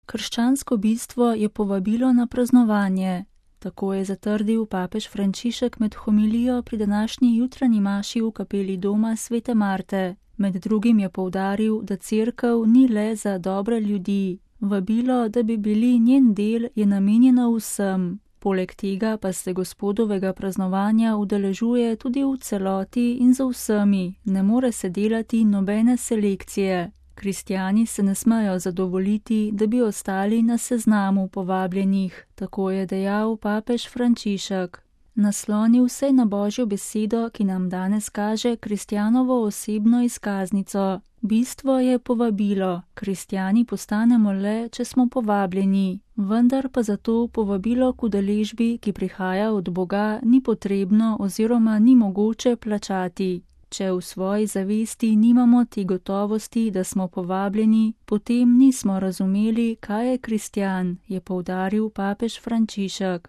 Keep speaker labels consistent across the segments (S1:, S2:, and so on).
S1: Krščansko bistvo je povabilo na praznovanje. Tako je zatrdil papež Frančišek med homilijo pri današnji jutranji maši v kapeli doma Svete Marte. Med drugim je poudaril, da cerkev ni le za dobre ljudi. Vabilo, da bi bili njen del, je namenjeno vsem. Poleg tega pa se Gospodovega praznovanja udeležuje tudi v celoti in za vsemi, ne more se delati nobene selekcije. Kristjani se ne smejo zadovoljiti, da bi ostali na seznamu povabljenih, tako je dejal papež Frančišek. Naslonil se je na Božjo besedo, ki nam danes kaže kristjanovo osebno izkaznico. Bistvo je povabilo, kristjani postanemo le, če smo povabljeni, vendar pa zato povabilo k udeležbi, ki prihaja od Boga, ni potrebno oziroma ni mogoče plačati. Če v svoji zavesti nimamo te gotovosti, da smo povabljeni, potem nismo razumeli, kaj je kristjan, je poudaril papež Frančišek.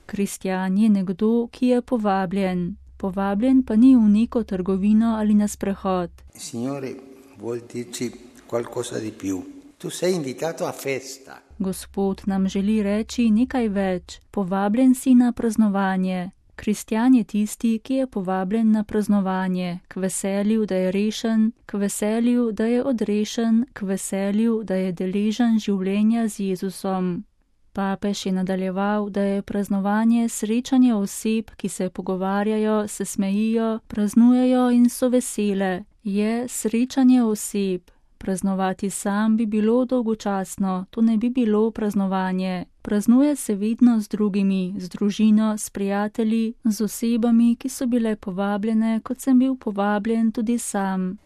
S1: Kristjan je nekdo, ki je povabljen. Povabljen pa ni v neko trgovino ali na sprehod. Gospod nam želi reči nekaj več. Povabljen si na praznovanje. Kristjan je tisti, ki je povabljen na praznovanje, k veselju, da je rešen, k veselju, da je odrešen, k veselju, da je deležen življenja z Jezusom. Papež je nadaljeval, da je praznovanje srečanje oseb, ki se pogovarjajo, se smejijo, praznujejo in so vesele. Je srečanje oseb. Praznovati sam bi bilo dolgočasno, to ne bi bilo praznovanje. Praznuje se vedno z drugimi, z družino, s prijatelji, z osebami, ki so bile povabljene, kot sem bil povabljen tudi sam.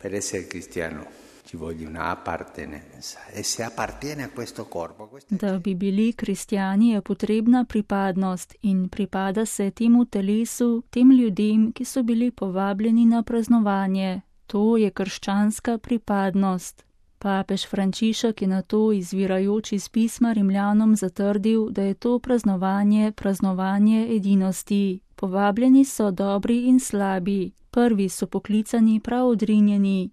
S1: Da bi bili kristjani, je potrebna pripadnost in pripada se temu telesu, tem ljudem, ki so bili povabljeni na praznovanje. To je krščanska pripadnost. Papež Frančišek je na to izvirajoč iz pisma Rimljanom zatrdil, da je to praznovanje edinosti. Povabljeni so dobri in slabi. Prvi so poklicani prav odrinjeni.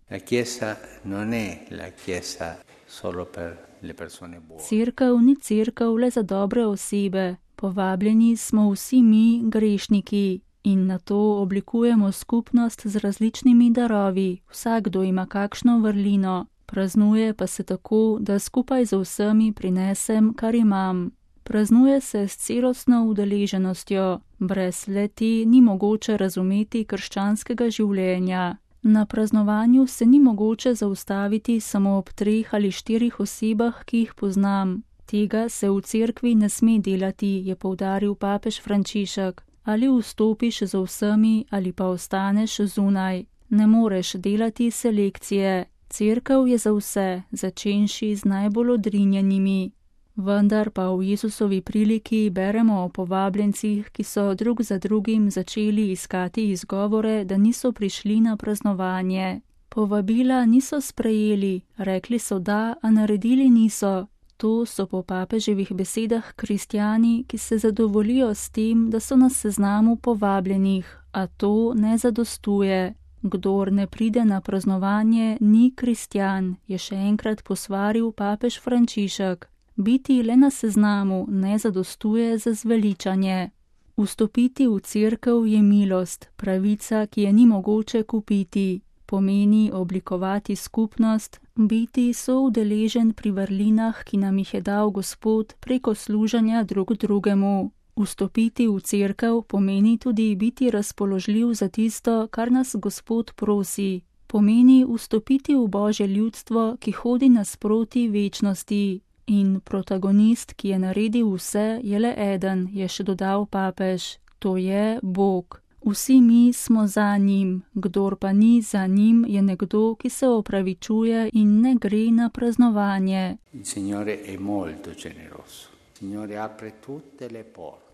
S1: Cerkev ni cerkev le za dobre osebe. Povabljeni smo vsi mi, grešniki. In na to oblikujemo skupnost z različnimi darovi. Vsakdo ima kakšno vrlino. Praznuje pa se tako, da skupaj z vsemi prinesem, kar imam. Praznuje se s celostno udeleženostjo. Brez le-te ni mogoče razumeti krščanskega življenja. Na praznovanju se ni mogoče zaustaviti samo ob 3 ali 4 osebah, ki jih poznam. Tega se v cerkvi ne sme delati, je poudaril papež Frančišek. Ali vstopiš z vsemi ali pa ostaneš zunaj. Ne moreš delati selekcije. Cerkev je za vse, začenši z najbolj odrinjenimi. Vendar pa v Jezusovi priliki beremo o povabljencih, ki so drug za drugim začeli iskati izgovore, da niso prišli na praznovanje. Povabila niso sprejeli, rekli so da, a naredili niso. To so po papeževih besedah kristjani, ki se zadovoljijo s tem, da so na seznamu povabljenih, a to ne zadostuje. Kdor ne pride na praznovanje, ni kristjan, je še enkrat posvaril papež Frančišek. Biti le na seznamu ne zadostuje za zveličanje. Vstopiti v cerkev je milost, pravica, ki je ni mogoče kupiti. Pomeni oblikovati skupnost, biti soudeležen pri vrlinah, ki nam jih je dal Gospod preko služenja drug drugemu. Vstopiti v cerkev pomeni tudi biti razpoložljiv za tisto, kar nas Gospod prosi. Pomeni vstopiti v Božje ljudstvo, ki hodi nasproti večnosti. In protagonist, ki je naredil vse, je le eden, je še dodal papež. To je Bog. Vsi mi smo za njim, kdor pa ni za njim, je nekdo, ki se opravičuje in ne gre na praznovanje.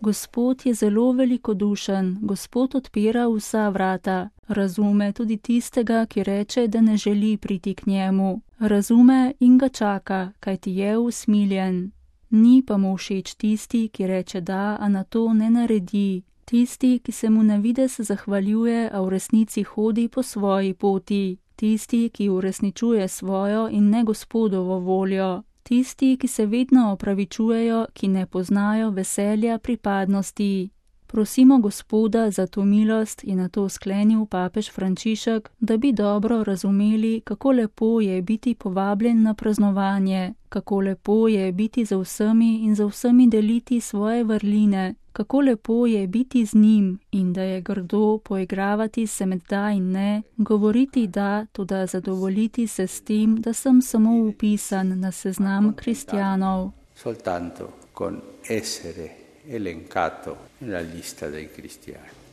S1: Gospod je zelo velikodušen, Gospod odpira vsa vrata. Razume tudi tistega, ki reče, da ne želi priti k njemu. Razume in ga čaka, kajti je usmiljen. Ni pa mu všeč tisti, ki reče da, a na to ne naredi. Tisti, ki se mu na videz zahvaljuje, a v resnici hodi po svoji poti. tisti, ki uresničuje svojo in ne Gospodovo voljo, tisti, ki se vedno opravičujejo, ki ne poznajo veselja pripadnosti. Prosimo Gospoda za to milost, je nato sklenil papež Frančišek, da bi dobro razumeli, kako lepo je biti povabljen na praznovanje, kako lepo je biti za vsemi in za vsemi deliti svoje vrline, kako lepo je biti z njim in da je grdo poigravati se med da in ne, govoriti da, toda zadovoljiti se s tem, da sem samo upisan na seznam kristjanov.
S2: Soltanto con essere elencato nella lista dei cristiani.